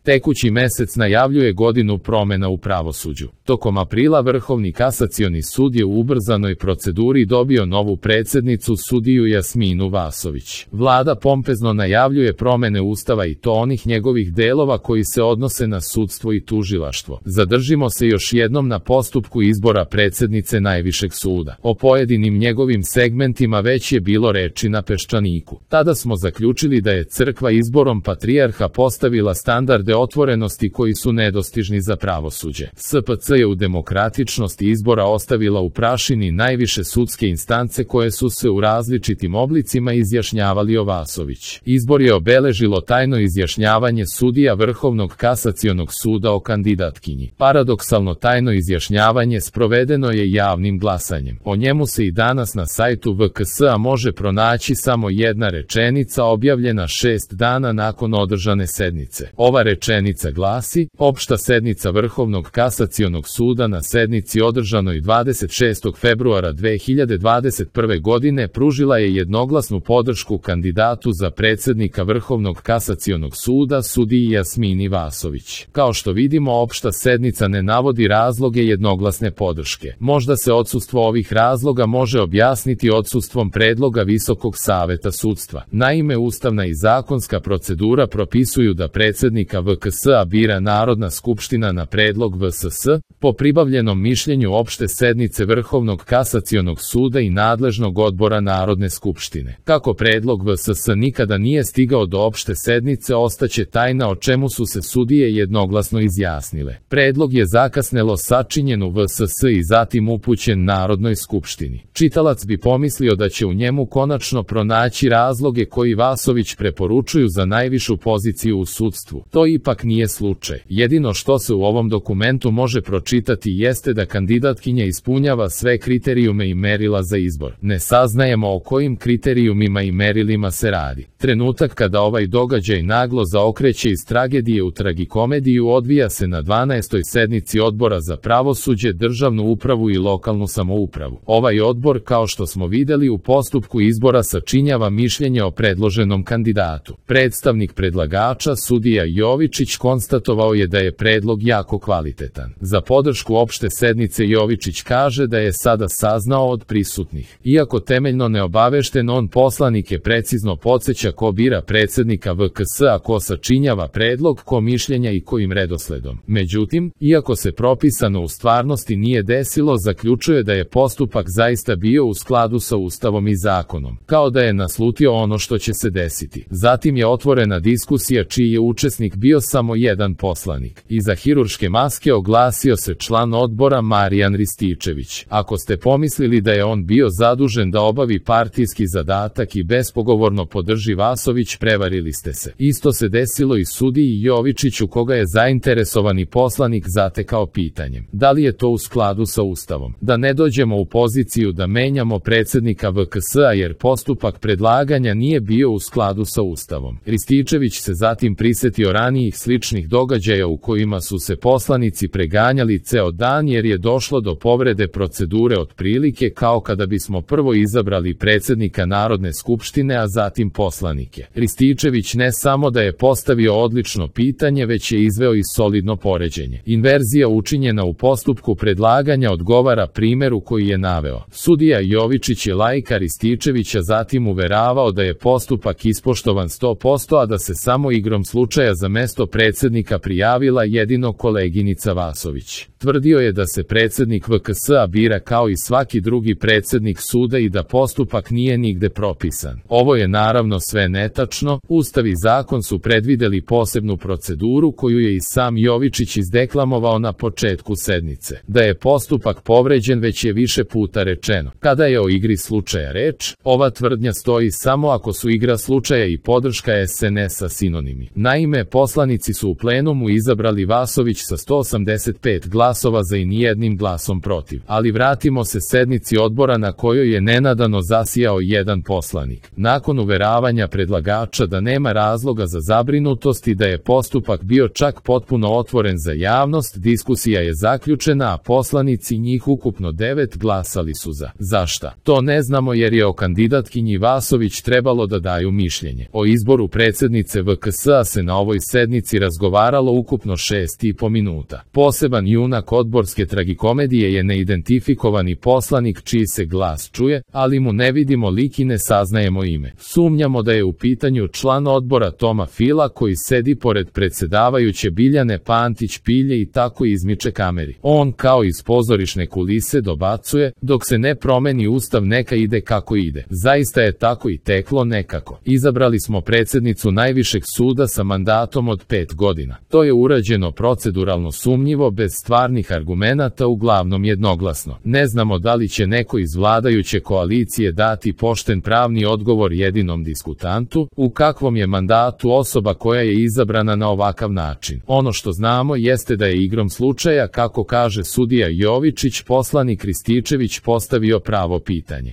Tekući mesec najavljuje godinu promena u pravosuđu. Tokom aprila Vrhovni kasacioni sud je u ubrzanoj proceduri dobio novu predsjednicu, sudiju Jasminu Vasović. Vlada pompezno najavljuje promene Ustava i to onih njegovih delova koji se odnose na sudstvo i tužilaštvo. Zadržimo se još jednom na postupku izbora predsjednice Najvišeg suda. O pojedinim njegovim segmentima već je bilo reči na Peščaniku. Tada smo zaključili da je crkva izborom patrijarha postavila standarde otvorenosti koji su nedostižni za pravosuđe. SPC je u demokratičnosti izbora ostavila u prašini najviše sudske instance koje su se u različitim oblicima izjašnjavali o Vasović. Izbor je obeležilo tajno izjašnjavanje sudija Vrhovnog kasacionog suda o kandidatkinji. Paradoksalno tajno izjašnjavanje sprovedeno je javnim glasanjem. O njemu se i danas na sajtu VKS-a može pronaći samo jedna rečenica objavljena 6 dana nakon održane sednice. Ova rečenica glasi: opšta sednica Vrhovnog kasacionog suda na sednici održanoj 26. februara 2021. godine pružila je jednoglasnu podršku kandidatu za predsjednika Vrhovnog kasacionog suda sudiji Jasmini Vasović. Kao što vidimo, opšta sednica ne navodi razloge jednoglasne podrške. Možda se odsustvo ovih razloga može objasniti odsustvom predloga Visokog saveta sudstva. Naime, ustavna i zakonska procedura propisuju da predsjednika VKS-a bira Narodna skupština na predlog VSS, po pribavljenom mišljenju opšte sednice Vrhovnog kasacionog suda i nadležnog odbora Narodne skupštine. Kako predlog VSS nikada nije stigao do opšte sednice, ostaće tajna o čemu su se sudije jednoglasno izjasnile. Predlog je zakasnelo sačinjen u VSS i zatim upućen Narodnoj skupštini. Čitalac bi pomislio da će u njemu konačno pronaći razloge koji Vasović preporučuju za najvišu poziciju u sudstvu. To ipak nije slučaj. Jedino što se u ovom dokumentu može pročitati jeste da kandidatkinja ispunjava sve kriterijume i merila za izbor. Ne saznajemo o kojim kriterijumima i merilima se radi. Trenutak kada ovaj događaj naglo zaokreće iz tragedije u tragikomediju odvija se na 12. sednici Odbora za pravosuđe, državnu upravu i lokalnu samoupravu. Ovaj odbor, kao što smo vidjeli u postupku izbora, sačinjava mišljenje o predloženom kandidatu. Predstavnik predlagača, sudija Jovičić, konstatovao je da je predlog jako kvalitetan. Za podršku opšte sednice Jovičić kaže da je sada saznao od prisutnih. Iako temeljno neobavešten, on poslanike precizno podsjeća ko bira predsjednika VKS-a, ko sačinjava predlog, ko mišljenja i kojim redosledom. Međutim, iako se propisano u stvarnosti nije desilo, zaključuje da je postupak zaista bio u skladu sa Ustavom i zakonom, kao da je naslutio ono što će se desiti. Zatim je otvorena diskusija čiji je učesnik bio samo jedan poslanik. Iza hirurške maske oglasio se član odbora Marijan Rističević. Ako ste pomislili da je on bio zadužen da obavi partijski zadatak i bespogovorno podrži Vasović, prevarili ste se. Isto se desilo i sudiji Jovičiću, koga je zainteresovani poslanik zatekao pitanjem: da li je to u skladu sa Ustavom? Da ne dođemo u poziciju da menjamo predsjednika VKS-a jer postupak predlaganja nije bio u skladu sa Ustavom. Rističević se zatim prisetio ranijih sličnih događaja u kojima su se poslanici preganjali ceo dan jer je došlo do povrede procedure, otprilike kao kada bismo prvo izabrali predsjednika Narodne skupštine, a zatim poslanike. Rističević ne samo da je postavio odlično pitanje, već je izveo i solidno poređenje. Inverzija učinjena u postupku predlaganja odgovara primjeru koji je naveo. Sudija Jovičić je laika Rističevića zatim uveravao da je postupak ispoštovan 100%, a da se samo igrom slučaja za mesto predsjednika prijavila jedino koleginica Vasović. Tvrdio je da se predsjednik VKS-a bira kao i svaki drugi predsjednik suda i da postupak nije nigde propisan. Ovo je naravno sve netačno. Ustav i zakon su predvideli posebnu proceduru koju je i sam Jovičić izdeklamovao na početku sednice. Da je postupak povređen već je više puta rečeno. Kada je o igri slučaja reč, ova tvrdnja stoji samo ako su igra slučaja i podrška SNS-a sinonimi. Naime, poslanici su u plenumu izabrali Vasović sa 185 glasova glasova za i nijednim glasom protiv. Ali vratimo se sednici odbora na kojoj je nenadano zasijao jedan poslanik. Nakon uveravanja predlagača da nema razloga za zabrinutost i da je postupak bio čak potpuno otvoren za javnost, diskusija je zaključena, a poslanici, njih ukupno 9, glasali su za. Zašta? To ne znamo jer je o kandidatkinji Vasović trebalo da daju mišljenje. O izboru predsjednice VKS-a se na ovoj sednici razgovaralo ukupno 6,5 minuta. Poseban junak odborske tragikomedije je neidentifikovani poslanik čiji se glas čuje, ali mu ne vidimo lik i ne saznajemo ime. Sumnjamo da je u pitanju član odbora Toma Fila koji sedi pored predsjedavajuće Biljane Pantić Pilje i tako izmiče kameri. On kao iz pozorišne kulise dobacuje, dok se ne promeni ustav neka ide kako ide. Zaista je tako i teklo nekako. Izabrali smo predsjednicu najvišeg suda sa mandatom od 5 godina. To je urađeno proceduralno sumnjivo, bez stvarnih argumenata, uglavnom jednoglasno. Ne znamo da li će neko iz vladajuće koalicije dati pošten pravni odgovor jedinom diskutantu, u kakvom je mandatu osoba koja je izabrana na ovakav način. Ono što znamo jeste da je igrom slučaja, kako kaže sudija Jovičić, poslanik Rističević postavio pravo pitanje.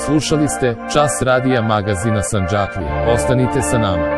Slušali ste Čas radija magazina Sandžaklije. Ostanite sa nama.